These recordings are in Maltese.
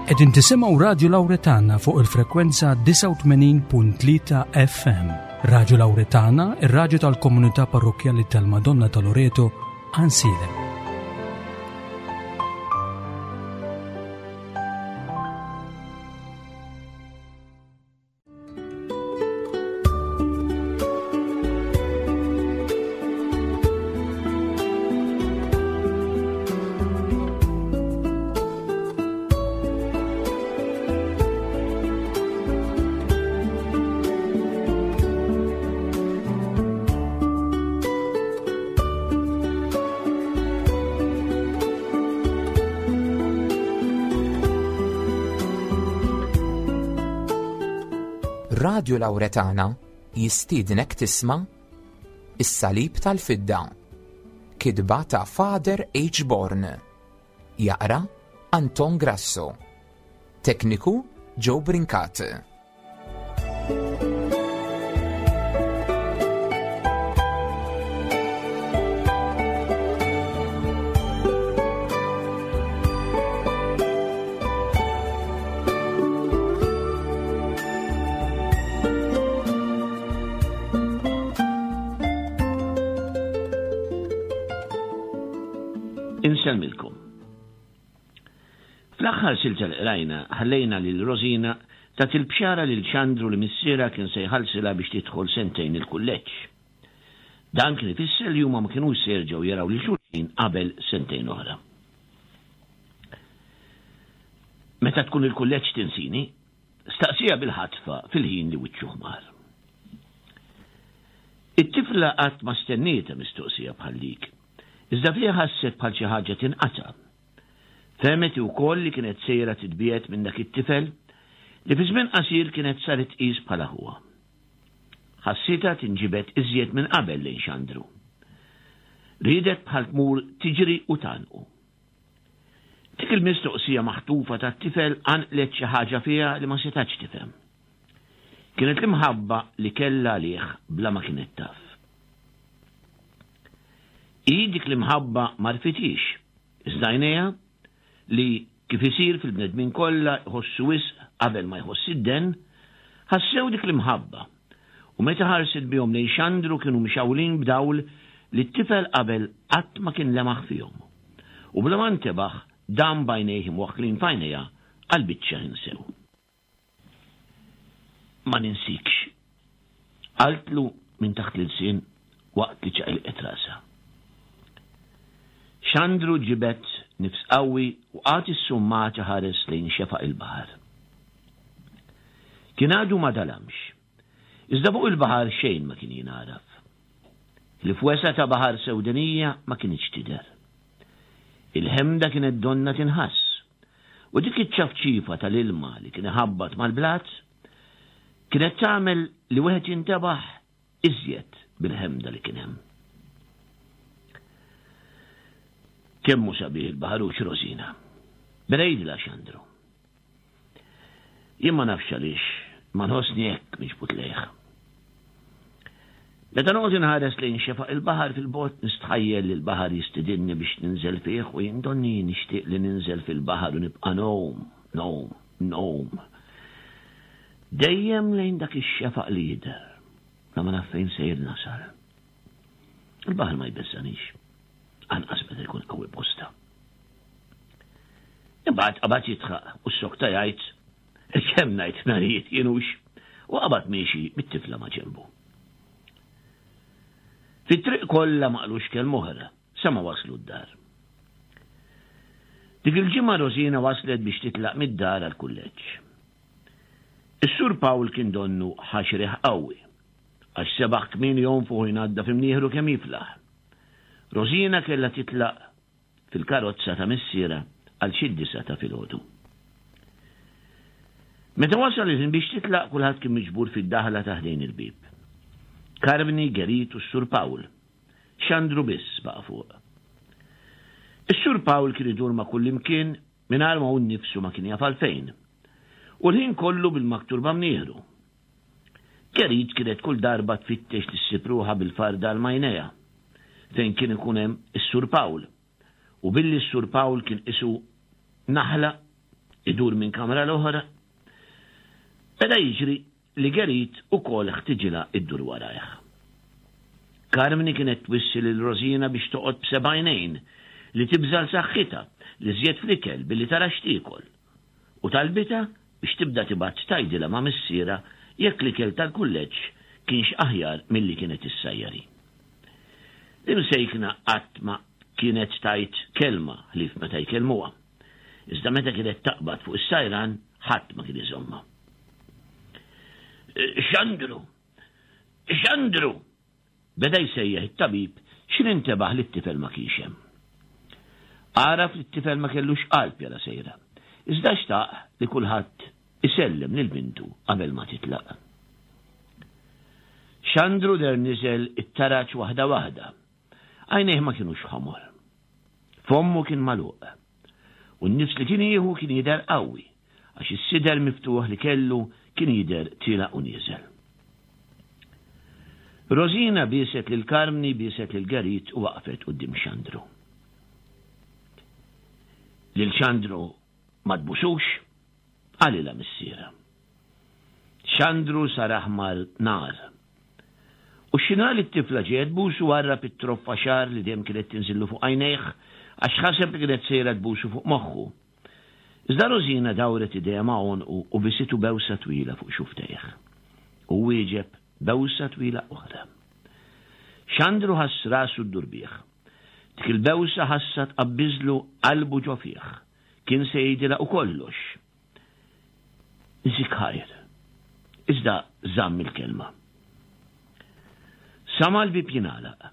Qegħdin tisimgħu Radju Lawretana fuq il-frekwenza 89.3 FM. Radju Lawretana, ir-radju tal-komunità parrokkjali tal-Madonna ta' Loreto, Ansilem. Radju Lawretana jistiednek tisma' Is-Salib tal-Fidda. Kitba ta' Father H. Born. Jaqra Anton Grasso. Tekniku Joe Brincat. Insellmilkom. Fl-aħħar silta li qrajna ħallejna lil Rosina tagħti l-bxara lil Xandru li missierha kien se jħallsilha biex tidħol sentejn il-kulleġġ. Dan kien ifisser li huma ma kinux se jerġgħu jaraw lil xulxin qabel sentejn oħra. Meta tkun il-kulleġġ tinsini? Staqsieha bil-ħatfa fil-ħin li wiċċu ħmar. It-tifla qatt ma stennietha mistoqsija bħal dik, iżda fiha ħasset bħal xi ħaġa tinqata'. Fehmet hi wkoll li kienet sejra titbiegħed minn dak it-tifel li fi żmien qasir kienet saret tqis bħala ħuha. Ħassitha tinġibed iżjed minn qabel lejn Xandru. Riedet bħal tmur tiġri u tgħannqu. Dik il-mistoqsija maħtufa tat-tifel qanqlet xi ħaġa fiha li ma setgħetx tifhem. Kienet l-imħabba li kellha għalih bla ma kienet taf. Hi dik l-imħabba m'għarfithiex, iżda għajnejha, li, kif isir fil-bnedmin kollha, jħossu wisq qabel ma jħoss id-denn, ħassew dik l-imħabba, u meta ħarset bihom lejn Xandru kienu mxawlin b'dawl li t-tifel qabel qatt ma kien lemaħ fihom. U bla ma ntebaħ, dam b'għajnejh imwaħħlin f'għajnejha għal biċċa ħin sew. Ma ninsikx. Qaltlu minn taħt l-ilsien waqt li ċaqilqet rasha. Xandru ġibed nifs qawwi u qagħad issummat iħares lejn xefaq il-baħar. Kien għadu ma dalamx. Iżda fuq il-baħar xejn ma kien jingħaraf. L-ifwesa ta' baħar sewdenija ma kinitx tidher. Il-ħemda kienet donnha tinħass. U dik iċ-ċafċifa tal-ilma li kien iħabbat mal-blat kienet tagħmel li wieħed jintebaħ iżjed bil-ħemda li kien hemm. Kemm hu sabiħ il-baħar hux Rosina. Beda jidla Xandru. Jien ma nafx għaliex ma nħossni hekk miġbud lejh. Meta noqgħod inħares lejn xefaq il-baħar fil-bogħod nistħajjel li l-baħar jistidinni biex ninżel fih u jien donni nixtieq li ninżel fil-baħar u nibqa' ngħum, ngħum, ngħum. Dejjem lejn dak ix-xefaq li jidher, la ma naf fejn sejr nasal. Il-baħar ma jbeżżanix, anqas meta jkun qawwi bosta. Imbagħad qabad jidħaq u ssokta jgħid kemm ngħid narijiet kienux u qabad miexi bit-tifla ma' ġenbu. Fit-triq kollha ma qalux kelma oħra sa ma waslu d-dar. Dik il-ġimgħa Rosina waslet biex titlaq mid-dar għall-kulleġġ. Is-Sur Pawl kien donnu ħa xi riħ qawwi, għax sebaħ kmieni jonfoħ u jnaddaf imnieħru kemm jiflaħ. Rosina kellha titlaq fil-karozza ta' missierha għal xi d-disgħa ta' filgħodu. Meta wasal il-ħin biex titlaq kulħadd kien miġbur fid-daħla ta' ħdejn il-bieb. Karmni, Gerit u s-Sur Pawl. Xandru biss baqa' fuq. Is-Sur Pawl kien idur ma' kullimkien mingħajr ma hu nnifsu ma kien jaf għalfejn. U l-ħin kollu bil-maktur b'mnieħru. Gerit kienet kull darba tfittex li ssib ruħha bil-farda għal m'għajnejha, fejn kien ikun hemm is-Sur Pawl. U billi s-Sur Pawl kien qisu naħla, Idur minn kamra l-oħra. Beda jiġri li Gerit ukoll ħtiġilha ddur warajh. Karmni kienet twissi lil Rosina biex toqgħod b'seba' għajnejn, li tibża' 'l saħħitha, li żjed fl-ikel billi tara x'tiekol. U talbitha biex tibda tibgħat tgħidilha ma' missierha jekk l-ikel tal-kulleġġ kienx aħjar milli kienet issajjar hi. L-imsejkna qatt ma kienet tgħid kelma ħlief meta jkellmuha. Iżda meta kienet taqbad fuq is-sajran ħadd ma kien iżommha. Xandru! Xandru! Beda jsejjaħ it-tabib x'in intebaħ li t-tifel ma kienx hemm. Għaraf li t-tifel ma kellux qalb jara sejra. Iżda xtaq li kulħadd isellem lil bintu qabel ma titlaq. Xandru der niżel it-taraġ waħda waħda. Għajnejh ma kinux ħomor. Fommu kien magħluq. U n-nifs li kien jieħu kien jidher qawwi, għax is-sider miftuħ li kellu kien jidher tiela' u nieżel. Rosina bieset lil Karmni, bieset lil Gerit u waqfet quddiem Xandru. Lil Xandru ma tbusux? Qalilha missierha. Xandru sar aħmar nar. U x'inha li t-tifla ġejja tbusu warrab it-troffa xagħar li dejjem kienet tinżillu fuq għajnejh għax ħaseb li kienet sejra tbusu fuq moħħu. Iżda Rosina dawret idejha ma' għonqu u bisitu bewsa twila fuq xufftejh. Hu wieġeb bewsa twila oħra. Xandru ħass rasu ddur bih. Dik il-bewsa ħassha tqabbiżlu qalbu ġo fih. Kien se jgħidilha u kollox. Zik ħajr. Iżda żamm il-kelma. Sama' l-bieb jingħalaq.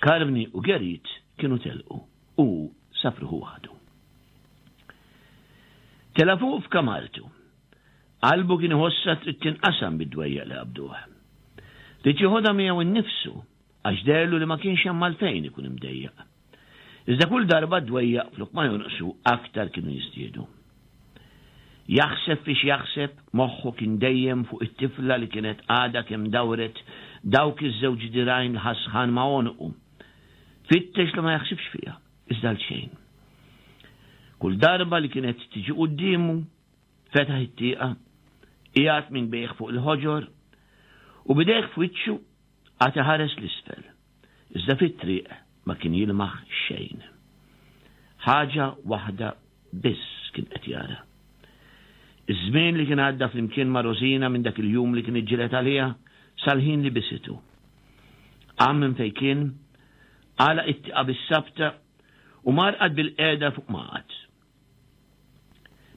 Karmni u Gerit kienu telqu u hu sab ruħu waħdu. Tela' fuq f'kamartu. Qalbu kien iħossha trid tinqasam bid-dwejjaq li qabduh. Ried jeħodha miegħu nnifsu għax deherlu li ma kienx hemm għalfejn ikun imdejjaq. Iżda kull darba d-dwejjaq flok ma jonqsu aktar kienu jiżdiedu. Jaħseb fiex jaħseb, moħħu kien dejjem fuq it-tifla li kienet għadha kemm dawret dawk iż-żewġ dirgħajn li ħasħan ma' għonqu. Fittex li ma jaħsibx fiha, iżda għal xejn. Kull darba li kienet tiġi quddiemu, fetaħ it-tieqa, qiegħed minn bejh fuq il-ħoġor u bidejh f'wiċċu qagħad iħares 'l isfel. Iżda fit-triq ma kien jilmaħ xejn. Ħaġa waħda biss kien qed jara. Iż-żmien li kien għadda flimkien ma' Rosina minn dak il-jum li kien iġġieled għaliha sal-ħin li bisitu. Qam minn fejn kien, għalaq it-tieqa bis-sabta u mar qagħad bil-qiegħda fuq ma qagħad.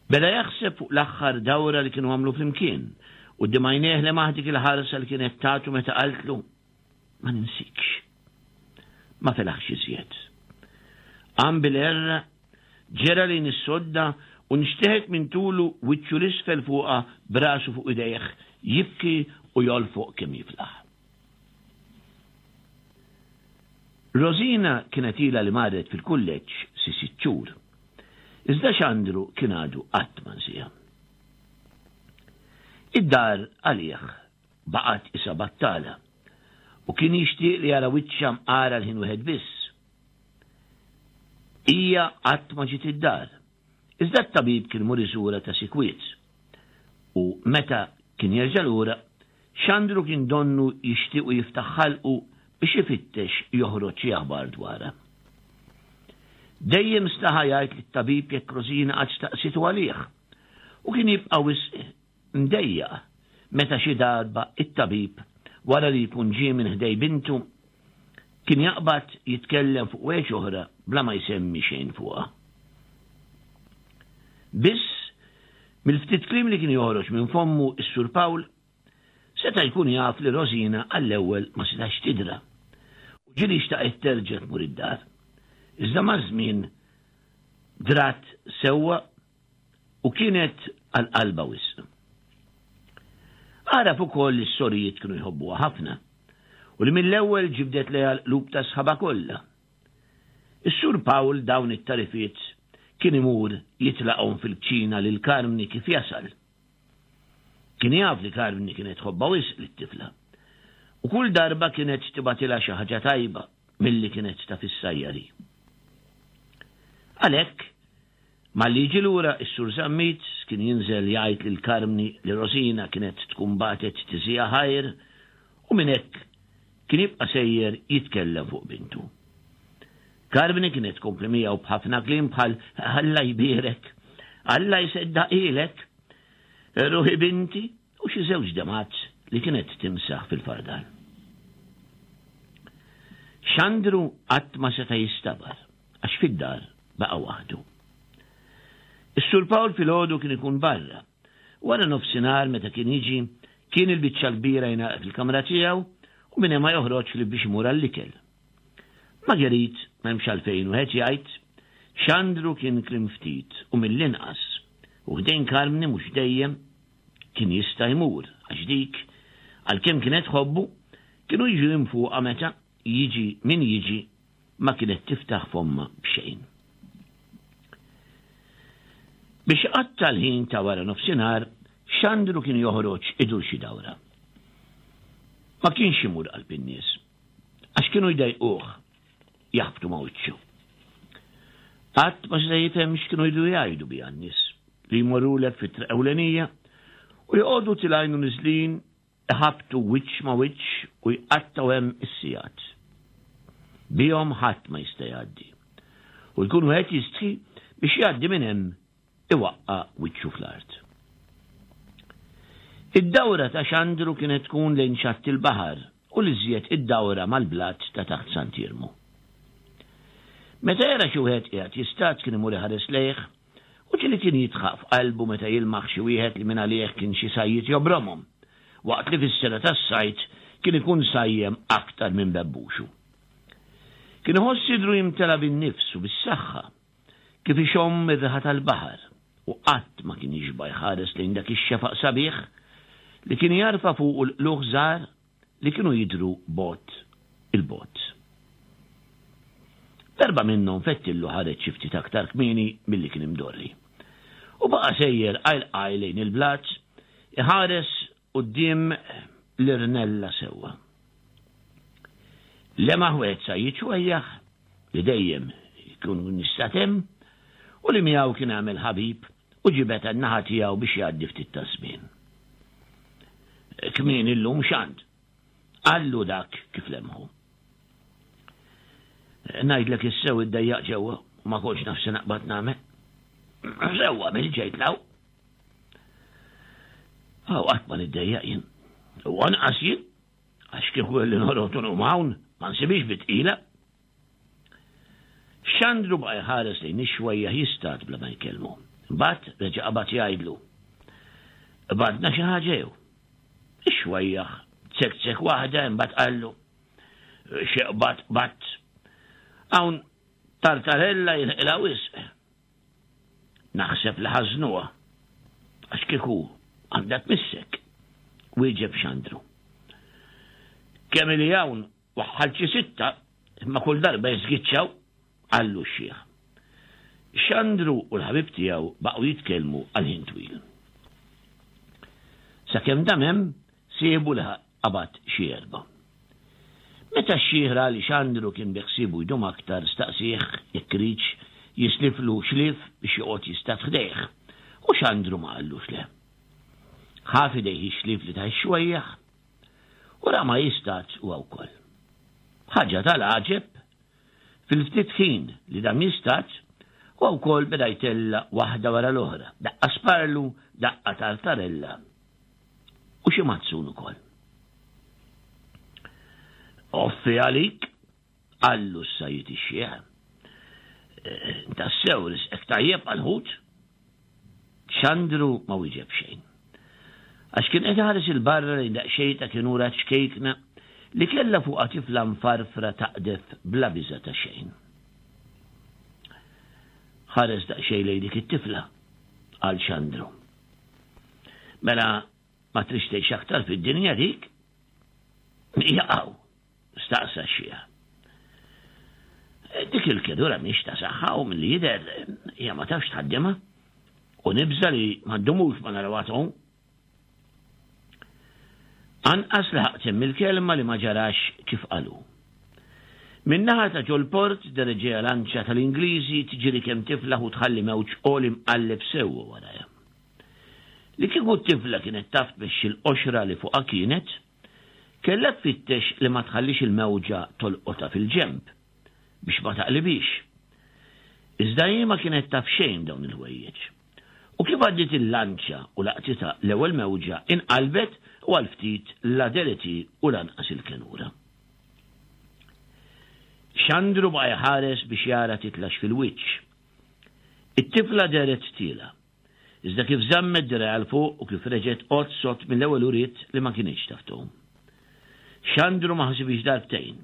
Beda jaħseb fuq l-aħħar dawra li kienu għamlu flimkien, quddiem għajnejh lemaħ dik il-ħarsa li kienet tagħtu meta qaltlu, Ma ninsikx. Ma felaħx iżjed. Qam bil-għerra, ġera lejn is-sodda u nxteħet minn tulu wiċċu l-isfel fuqha b'rasu fuq idejh, jibki u jolfoq kemm jiflaħ. Rosina kienet ilha li marret fil-kulleġġ si sitt xhur. Iżda Xandru kien għadu qatt ma nsieha. Id-dar għalih baqgħet qisha battala u kien jixtieq li jara wiċċha mqar għal ħin wieħed biss. Hija qatt ma ġiet id-dar. Iżda t-tabib kien imur iżurha ta' sikwit. U meta kien jerġa' lura, Xandru kien donnu jixtiequ jiftaħ ħalqu biex ifittex joħroġ xi aħbar dwarha. Dejjem staħa jgħid lit-tabib jekk Rosina qatt staqsitu għalih, u kien jibqa' wisq mdejjaq meta xi darba t-tabib, wara li jkun ġie minn ħdej bintu, kien jaqbad jitkellem fuq weġh oħra bla ma jsemmi xejn fuqha. Biss, mill-ftit kliem li kien joħroġ minn fommu s-Sur Pawl, seta' jkun jaf li Rosina għall-ewwel ma setax tidra u ġieli xtaqet terġa' tmur id-dar. Iżda maż-żmien drat sewwa u kienet għal qalbha wisq. Għaraf ukoll li s-sorijiet kienu jħobbuha ħafna u li mill-ewwel ġibdet lejha l-qlub ta' sħabha kollha. Is-Sur Pawl dawn it-tarifiet kien imur jitlaqhom fil-kċina lil Karmni kif jasal. Kien jaf li Karmni kienet tħobbha wisq lit-tifla u kull darba kienet tibgħatilha xi ħaġa tajba milli kienet taf issajjar hi. Għalhekk, Malli jiġi lura s-Sur Zammit kien jinżel jgħid lil Karmni li Rosina kienet tkun bagħtet tiżiha ħajr u minn hekk kien jibqa' sejjer jitkellem fuq bintu. Karmni kienet tkompli miegħu b'ħafna kliem bħal Alla jbierek, Alla jseddaqhielek, ruħi binti u xi żewġ demgħat li kienet timsaħ fil-fardal. Xandru qatt ma seta' jistabar għax fid-dar baqa' waħdu. Is-Sur Pawl filgħodu kien ikun barra. Wara nofsinhar meta kien jiġi, kien il-biċċa l-kbira jingħalaq fil-kamra tiegħu u minn hemm ma joħroġ ħlief biex imur għall-ikel. Marguerite, m'hemmx għalfejn wieħed jgħid, Xandru kien kliem ftit u mill-inqas, u ħdejn Karmni mhux dejjem kien jista' jmur, għax dik, għalkemm kienet tħobbu, kienu jiġu jinfuqha meta, jiġi min jiġi, ma kienet tiftaħ fommha b'xejn. Biex iqatta' l-ħin ta' wara nofsinhar, Xandru kien joħroġ idur xi dawra. Ma kienx imur qalb in-nies, għax kienu jdejquh jaħbtu ma' wiċċu. Qatt ma seta' jifhem x'kienu jridu jgħidu biha n-nies li jmorrulek fit-triq ewlenija u joqogħdu tilgħin u niżlin iħabbtu wiċċ ma' wiċċ u jqattgħu hemm is-sigħat. Bihom ħadd ma jista' jgħaddi. U jkun wieħed jistħi biex jgħaddi minn hemm iwaqqa' wiċċu fl-art. Id-dawra ta' Xandru kienet tkun lejn xatt il-baħar u l-iżjed id-dawra mal-blat ta' taħt Sant'Iermu. Meta jara xi wieħed qiegħed jistad kien imur iħares lejh u ġieli kien jidħaq f'qalbu meta jilmaħ xi wieħed li mingħalih kien xi sajjied jobromhom, waqt li fis-sena tas-sajd kien ikun sajjem aktar minn bebbuxu. Kien iħoss sidru jimtela bin-nifs u bis-saħħa, kif ixomm ir-riħa tal-baħar, u qatt ma kien jixba' jħares lejn dak ix-xefaq sabiħ li kien jarfa' fuqu l-qlugħ żgħar li kienu jidhru bogħod 'il bogħod. Darba minnhom Fettillu ħareġ xi ftit aktar kmieni milli kien imdorri u baqa' sejjer qajl qajl lejn il-blat iħares quddiem l-irnella sewwa. Lemaħ wieħed sajjied xwejjaħ li dejjem ikun jistad hemm u li miegħu kien għamel ħabib u ġibed għan-naħa tiegħu biex jgħaddi ftit taż-żmien. Kmieni llum x'għand? Qallu dak kif lemħu. Ngħidlek is-sew iddejjaq ġewwa u ma kontx naf se naqbad nagħmel. Sewwa mill ġejt law. Aw qatt ma niddejjaq jien. U anqas jien, għax kieku kelli norot u hawn, ma nsibix bitqila. Xandru baqa' jħares lejn ix-xwejjaħ jistad bla ma jkellmu. Imbagħad reġa' qabad jgħidlu, Qbadna xi ħaġa jew? Ix-xwejjaħ zekzek waħda imbagħad qallu, Xi qbad qbadt. Hawn tartarella jinqilha wisq. Naħseb li ħażnuha, għax kieku għandha tmissek, wieġeb Xandru. Kemm ili hawn Waħħalt xi sitta, imma kull darba jiżgiċċaw, qallu x-xiħ. Xandru u l-ħabib tiegħu baqgħu jitkellmu għal ħin twil. Sakemm dam hemm, sieħbu laħaq qabad xi erba'. Meta x-xiħ ra li Xandru kien biħsiebu jdum aktar staqsieh jekk iridx jisliflu xlief biex joqgħod jistad ħdejh, u Xandru ma qallux le. Ħa f'idejh ix-xlief li tah ix-xwejjaħ U ra ma jistadx huwa wkoll. Ħaġa tal-għaġeb, fil-ftit ħin li dam jistad, huwa wkoll beda jtella' waħda wara l-oħra, daqqa sparlu, daqqa tartarella u xi mazzun ukoll. Offi għalik, Qallu s-sajjied ix-xiħ. Tassew risqek tajjeb għall-ħut? Xandru ma wieġeb xejn. Għax kien qed iħares 'il barra lejn daqsxejn ta' kenura ċkejkna li kellha fuqha tifla mfarfra taqdef bla biża' ta' xejn. Ħares daqsxejn lejn dik it-tifla, qal Xandru. Mela ma tridx tgħix aktar fid-dinja dik? Jaqaw! Staqsa x-xiħ. Dik il-kedura mhix ta' saħħa u milli jidher hija ma tafx tħaddimha u nibża' li ma ndumux ma narawha tgħum. Anqas laħaq temm il-kelma li ma ġarax kif qalu. Min-naħa ta' ġol-port dehret ġejja lanċa tal-Ingliżi tiġri kemm tiflaħ u tħalli mewġ għoli mqalleb sewwa warajha. Li kieku t-tifla kienet taf tmexxi l-qoxra li fuqha kienet, kellha tfittex li ma tħallix il-mewġa tolqotha fil-ġenb, biex ma taqlibhiex. Iżda hi ma kienet taf xejn b'dawn il-ħwejjeġ. U kif għaddiet il-lanċa u laqtitha l-ewwel mewġa inqalbet u għal ftit la dehret hi u lanqas il-kenura. Xandru baqa' jħares biex jara titlax fil-wiċċ. It-tifla dehret tiela'. Iżda kif żammet dirgħajha 'l fuq u kif reġgħet qgħod sod mill-ewwel uriet li ma kinitx taf tgħum. Xandru ma ħasibhiex darbtejn.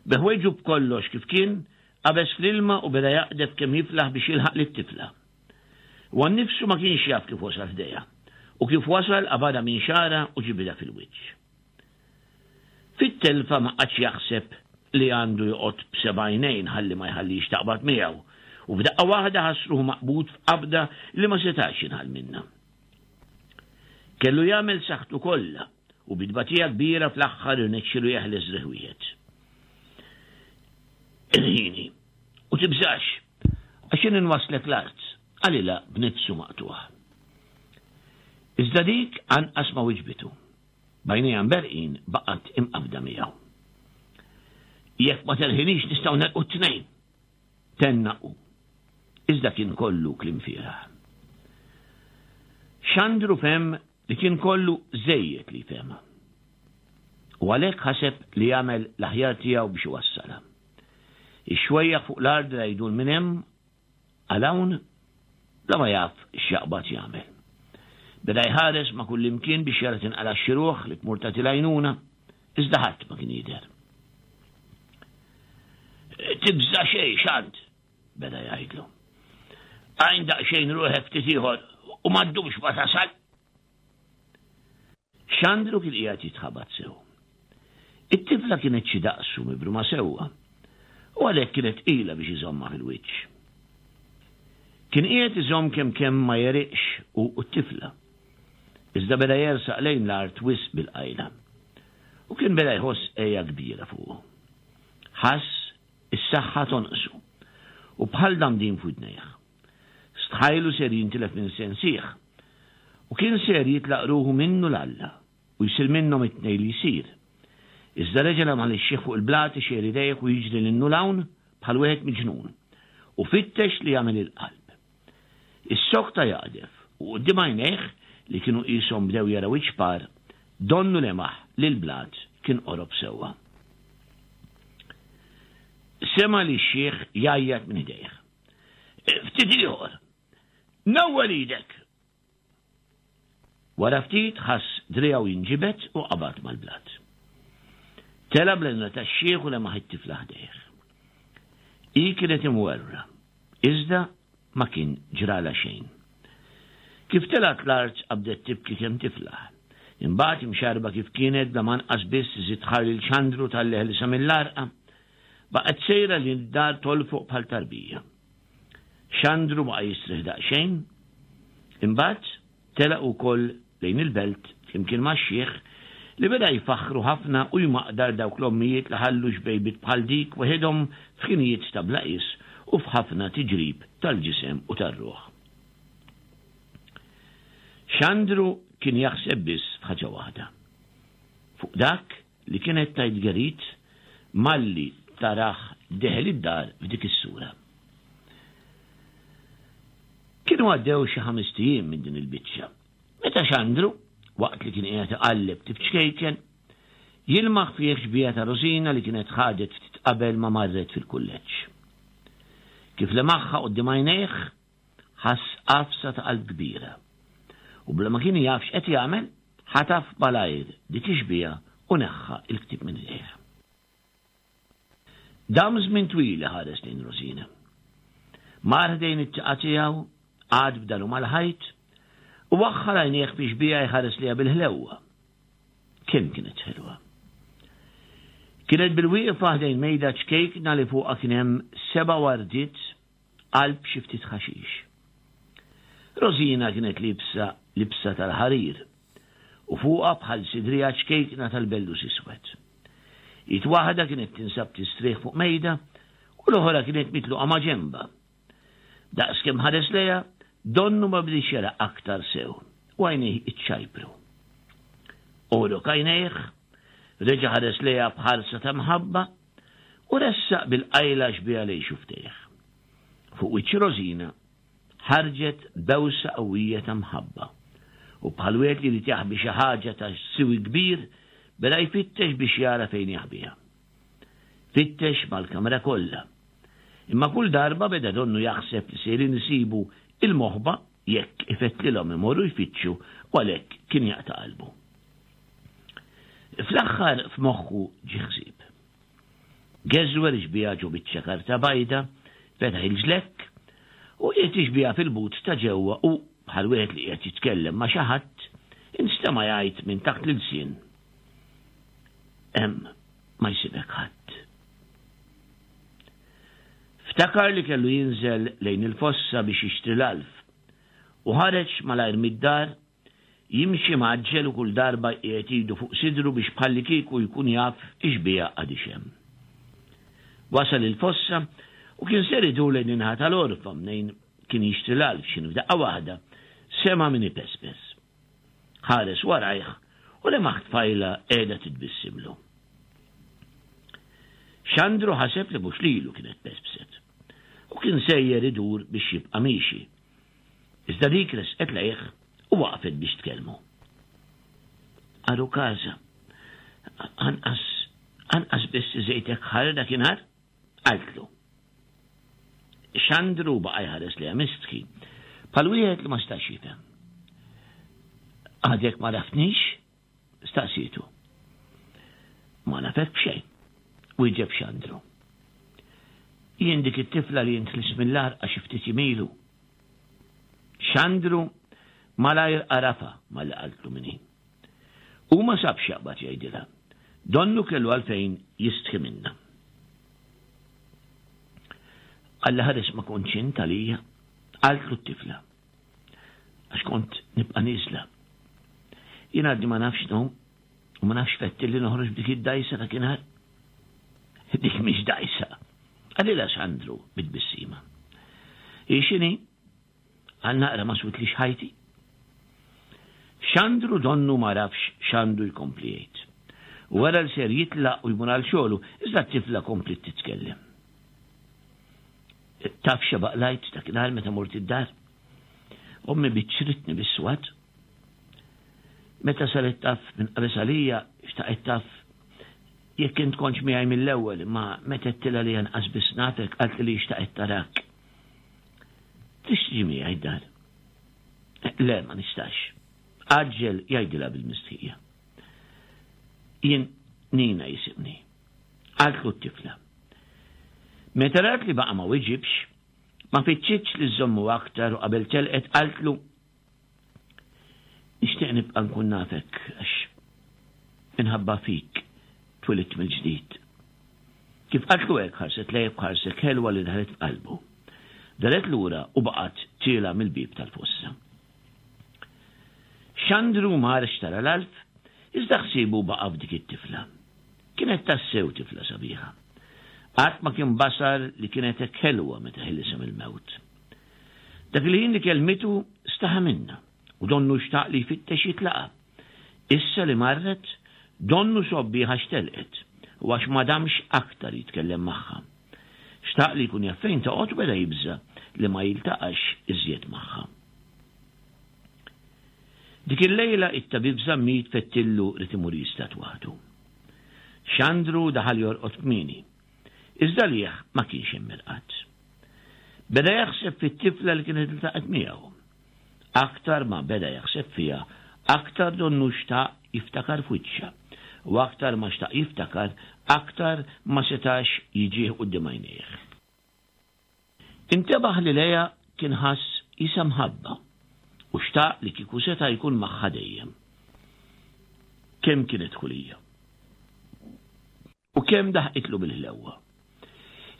Bi ħwejġu b'kollox kif kien, qabeż fl-ilma u beda jaqdef kemm jiflaħ biex jilħaq lit-tifla. Huwa nnifsu ma kienx jaf kif wasal ħdejha, u kif wasal qabadha minn xagħarha u ġibidha fil-wiċċ. Fit-telfa ma qagħadx jaħseb li għandu joqgħod b'seba' għajnejn ħalli ma jħallihiex taqbad miegħu, u f'daqqa waħda ħass ruħu maqbud f'qabda li ma setax jinħall minnha. Kellu jagħmel saħħtu kollha u bi tbatija kbira fl-aħħar irnexxielu jeħles driegħ wieħed. Irħini, u tibżax, għax jien inwasslek l-art, qalilha b'nifsu maqtugħ. Iżda dik anqas ma wiġbitu. B'għajnejha mberrqin baqgħet imqabbda miegħu. Jekk ma terħinix nistgħu negħrqu t-tnejn! Tenna hu. Iżda kien kollu kliem fieragħ. Xandru fehem li kien kollu żejjed li jfehmha. U għalhekk ħaseb li jagħmel l-aħjar tiegħu biex iwassalha. Ix-xwejjaħ fuq l-art beda jdur minn hemm għal hawn bla ma jaf x'jaqbad jagħmel. Beda jħares ma' kullimkien biex jara tinqalax xi ruħ li tmur tagħti l-għajnuna, iżda ħadd ma kien jidher. Tibża' xejn, Xand! beda jgħidlu. Għajn daqsxejn ruħek ftit ieħor u ma ddumx ma tasal. Xandru kien qiegħed jitħabat sew. It-tifla kienet xi daqsu mibruma sewwa u għalhekk kienet tqila biex iżommha fil-wiċċ. Kien qiegħed iżomm kemm kemm ma jeriqx hu u t-tifla. Iżda beda jersaq lejn l-art wisq bil-qajla. U kien beda jħoss għeja kbira fuqu. Ħass is-saħħa tonqsu u bħal damdin f'widnejh. Stħajlu ser jintilef minn sensih u kien ser jitlaq ruħu minnu 'l Alla u jsir minnhom it-tnejn li jsir. Iżda reġa' lemaħ lix-xiħ fuq il-blat ixejjer idejh u jiġri 'l hinn u 'l hawn bħal wieħed miġnun u fittex li jagħmel il-qalb. Issokta jaqdef u quddiem għajnejh li kienu qishom bdew jaraw iċ-ċpar, donnu lemaħ li l-blat kien qorob sewwa. Sema' lix-xiħ jgħajjat minn ħdejh. Ftit ieħor! Nawwel idek! Wara ftit ħass driegħu jinġibed u qabad mal-blat. Tela' bl-għajnuna tax-xiħ u lemaħ it-tifla ħdejh. Hi kienet imwerwra, iżda ma kien ġralha xejn. Kif telgħet l-art qabdet tibki kemm tiflaħ. Imbagħad imxarrba kif kienet bla ma anqas biss iżid ħar lil Xandru talli ħelisha mill-għarqa, baqgħet sejra lejn id-dar tolfoq bħal tarbija. Xandru baqa' jistrieħ daqsxejn, imbagħad telaq ukoll lejn il-belt flimkien max-xiħ li beda jfaħħru ħafna u jmaqdar dawk l-ommijiet li ħallu xbejbiet bħal dik weħidhom f'ħinijiet ta' bla qies u f'ħafna tiġrib tal-ġisem u tar-ruħ. Xandru kien jaħseb biss f'ħaġa waħda, fuq dak li kienet tgħid Gerrit malli tarah deħel id-dar f'dik is-sura. Kienu għaddew xi ħamest ijiem minn din il-biċċa, meta Xandru, waqt li kien qiegħed iqalleb ktieb ċkejken, jilmaħ fih xbieha ta' Rosina li kienet ħadet ftit qabel ma marret fil-kulleġġ. Kif lemaħha quddiem għajnejh, Ħass għafsa ta' qalb kbira. U bla ma kien jaf x'qed jagħmel, ħataf malajr dik ix-xbieha u neħħa l-ktieb minn idejh. Dam żmien twil iħares lejn Rosina. Mar ħdejn it-tieqa tiegħu, qagħad b'daru mal-ħajt, u waħħal għajnejh fix-xbieha jħares lejha bil-ħlewwa. Kemm kienet ħelwa! Kienet bilwieqfa ħdejn mejda ċkejkna li fuqha kien hemm seba' wardiet qalb xi ftit ħaxix. Rosina kienet liebsa libsa tal-ħarir u fuqha bħal sidrija ċkejkna tal-bellus iswed. Id waħda kienet tinsab tistrieħ fuq mejda u l-oħra kienet mitluqa ma' ġenbha. Daqs kemm ħares lejha, donnu ma bdiex jara aktar sew u għajnejh iċċajpru. Għorok għajnejh, reġa' ħares lejha b'ħarsa ta' mħabba u ressaq bil-qajla xbieha lejn xufftejh. Fuq wiċċ Rosina ħarġet bewsa qawwija ta' mħabba u bħal wieħed li jrid jaħbi xi ħaġa ta' siwi kbir beda jfittex biex jara fejn jaħbiha. Fittex mal-kamra kollha. Imma kull darba beda donnu jaħseb li sejrin isibu il-moħba jekk ifettlilhom imorru jfittxu u għalhekk kien jaqta' qalbu. Fl-aħħar f'moħħu ġie ħsieb. Geżwer ix-xbieha ġo biċċa karta bajda, fetaħ il-ġlekk, u qiegħed ix-xbieha fil-but ta' ġewwa u, bħal wieħed li qiegħed jitkellem ma' xi ħadd, instema' jgħid minn taħt l-ilsien, Hemm ma jsibek ħadd. Ftakar li kellu jinżel lejn il-fossa biex jixtri l-għalf, u ħareġ malajr mid-dar Jimxi mgħaġġel u kull darba jqiegħed idu fuq sidru biex bħallikieku jkun jaf ix-xbieha għadhiex hemm. Wasal il-fossa u kien ser idur lejn in-naħa tal-għorfa mnejn kien jixtri l-għalf x'inhu f'daqqa waħda sema' min ipespes. Ħares warajh u lemaħ tfajla qiegħda titbissimlu. Xandru ħaseb li mhux lilu kienet pespset u kien sejjer idur biex jibqa' miexi. Iżda dik resqet lejh u waqfet biex tkellmu. Għaru kaza, anqas anqas biss iżejtek ħar dakinhar, qaltlu. Xandru baqa' jħares lejha mistħi, bħal wieħed li ma stax jifhem. Għadek ma raftnix? Staqsietu. Ma nafek b'xejn, wieġeb Xandru. Jien dik it-tifla li int ħlist mill-għarqa xi ftit jiem ilu. Xandru malajr għarafha malli qaltlu min hi. Hu ma sabx x'jaqbad jgħidilha. Donnu kellu għalfejn jistħi minnha. Alla ħares ma kontx int għalija, qaltlu t-tifla. Għax kont nibqa' nieżla. Jien għadni ma nafx ngħum u ma nafx fetti li noħroġ b'dik id-dajsa dakinhar. Dik mhix dajsa. Qalilha Sandru bit-tbissima. Hi x'inhi? Għal naqra ma switlix ħajti. Xandru donnu ma rafx x'għandu jkompli jgħid. U wara li ser jitlaq u jmur għal xogħlu, iżda t-tifla kompliet titkellem. Taf x'baqlajt dakinhar meta mort id-dar? Ommi biċċritni bis-swat. Meta saret taf minn qabeż għalija, xtaqet taf jekk int kontx miegħi mill-ewwel, imma meta għedtilha li anqas biss nafek qaltli li xtaqet tarak. Tix tiġi miegħi d-dar? Le, ma nistax. Għaġġel jgħidilha bil-mistħija. Jien Nina jisimni. Qaltlu t-tifla. Meta rat li baqa' ma wiġibx, ma fittxitx li żżommu aktar u qabel telqet qaltlu Nixtieq nibqa' nkun nafek għax minħabba fik twilidt mill-ġdid. Kif qaltlu hekk ħarset lejh b'ħarsek ħelwa li daħlet f'qalbu. Daret lura u baqgħet tiela' mill-bieb tal-fossa. Xandru mar xtara l-għalf, iżda ħsiebu baqa' f'dik it-tifla. Kienet tassew tifla sabiħa. Qatt ma kien basar li kienet hekk ħelwa meta ħelisha mill-mewt. Dak il-ħin li kellmitu staħa minnha u donnu xtaq li jfittex jitlaqha. Issa li marret, donnu sgħobbieha għax telqet u għax ma damx aktar jitkellem magħha. Xtaq li jkun jaf fejn toqgħod u beda jibża' li ma jiltaqax iżjed magħha. Dik il-lejla it-tabib Zammit fettillu rid imur jistad waħdu. Xandru daħal jorqod kmieni, iżda għalih ma kienx hemm irqad. Beda jaħseb fit-tifla li kienet iltaqgħet miegħu. Aktar ma beda jaħseb fiha, aktar donnu xtaq jiftakar f'wiċċha, u aktar ma xtaq jiftakar, aktar ma setax jiġih quddiem għajnejh. Intebaħ li lejha kien ħass qisha mħabba u xtaq li kieku seta' jkun magħha dejjem. Kemm kienet ħulija. U kemm daħqitlu bil-ħlewwa.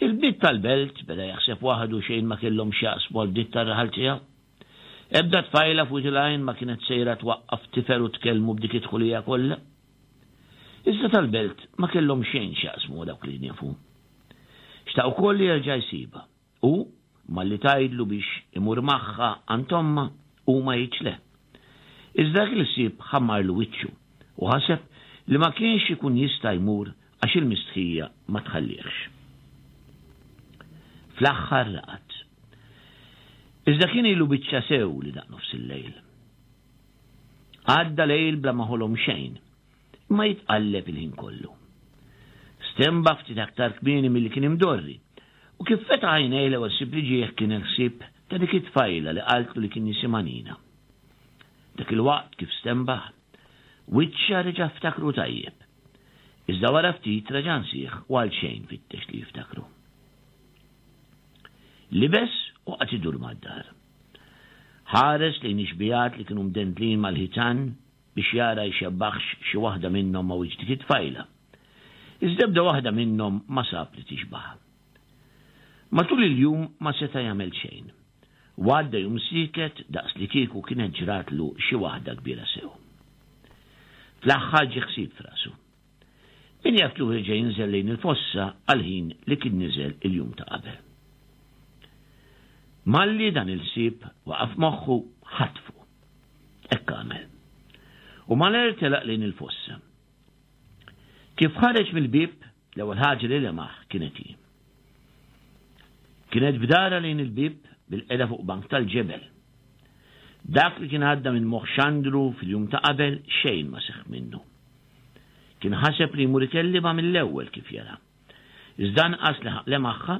Il-bniet tal-belt, beda jaħseb waħdu xejn ma kellhom x'jaqsmu għall-bniet tar-raħal tiegħu. Ebda tfajla f'Wied il-Għajn ma kienet sejra twaqqaf tifel u tkellmu b'dik id-dħulija kollha. Iżda tal-belt ma kellhom xejn x'jaqsmu ma' dawk li kien jafu. Xtaq ukoll li jerġa' jsibha u, malli tgħidlu biex imur magħha għand ommha, hu ma jgħidx le. Iżda dak il-ħsieb ħammarlu wiċċu u ħaseb li ma kienx ikun jista' jmur għax il-mistħija ma tħallihx. Fl-aħħar raqad. Iżda kien ilu biċċa sew li daq nofs il-lejl. Għadda lejl bla ma ħolom xejn, imma jitqalleb il-ħin kollu. Stenbaħ ftit aktar kmieni milli kien imdorri, u kif fetaħ għajnejh l-ewwel ħsieb li ġieh kien il-ħsieb ta' dik it-tfajla li qaltlu li kien jisimha Nina. Dak il-waqt kif stenbaħ, wiċċha reġa' ftakru tajjeb. Iżda wara ftit reġa' nsieħ u għalxejn fittex li jiftakru. Libes u qagħad idur mad-dar. Ħares lejn ix-xbigħat li kienu mdendlin mal-ħitan biex jara jxebbaħx xi waħda minnhom ma' wiċċ dik it-tfajla. Iżda ebda waħda minnhom ma sab li tixbaħha. Matul il-jum ma seta' jagħmel xejn. U għadda jum sieket daqs li kieku kienet ġratlu xi waħda kbira sew. Fl-aħħar ġie ħsieb f'rasu. Min jaf kieku reġa' jinżel lejn il-fossa għall-ħin li kien niżel il-jum ta' qabel. Malli dan il-ħsieb waqa' f'moħħu, ħatfu. Hekk għamel. U malajr telaq lejn il-fossa. Kif ħareġ mill-bieb, l-ewwel ħaġa li lemaħ kienet hi. Kienet b'dara lejn il-bieb bil-qeda fuq bank tal-ġebel. Dak li kien għadda minn moħħ Xandru fil-jum ta' qabel xejn ma seħħ minnu. Kien ħaseb li jmur ikellimha mill-ewwel kif jara. Iżda anqas leħaq lemaħha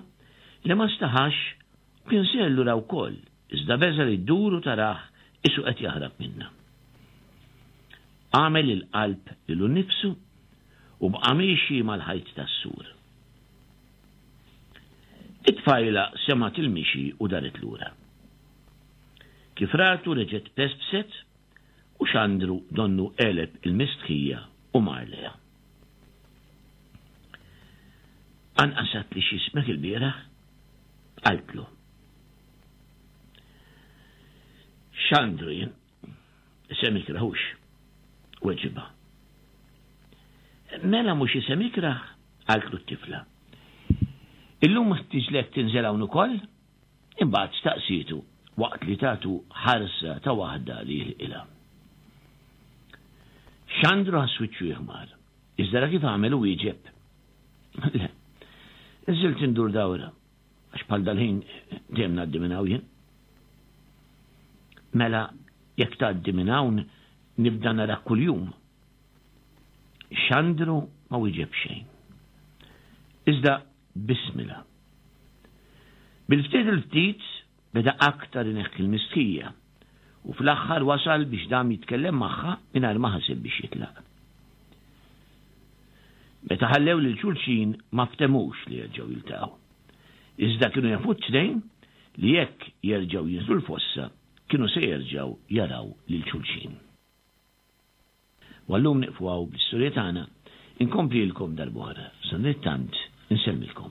li ma staħax u kien sejjer lura wkoll, iżda beża' li ddur u tarah qisu qed jaħrab minnha. Għamel il-qalb lilu nnifsu u baqa' miexi mal-ħajt tas-sur. It-tfajla semgħet il-mixi u daret lura. Kif ratu reġgħet pespset u Xandru donnu għeleb il-mistħija u mar lejha. Anqas għedtli x'ismek ilbieraħ? Qaltlu. Xandru jien, isem ikrah hux, weġibha. Mela mhux isem ikrah, qaltlu t-tifla. Illum tiġlek tinżel hawn ukoll? Imbagħad staqsietu waqt li tatu ħarsa ta' waħda li jilqilha. Xandru ħass wiċċu jiħmar, iżda ra kif għamel u wieġeb. Le, nżilt indur dawra, għax bħal dal-ħin dejjem ngħaddi minn hawn jien. Mela, jekk tgħaddi minn hawn nibda narak kuljum. Xandru ma wieġeb xejn. Iżda bismilha. Bil-ftit il-ftit beda aktar ineħħi l-mistħija u fl-aħħar wasal biex dam jitkellem magħha mingħajr ma ħaseb biex jitlaq. Meta ħallew lil xulxin ma ftehmux li jerġgħu jiltaqgħu. Iżda kienu jafu t-tnejn li jekk jerġgħu jinżlu l-fossa kienu se jerġgħu jaraw lil xulxin. U għal-lum nieqfu hawn bl-istorja tagħna, inkomplilkom darb'oħra. Sadanittant, insellmilkom.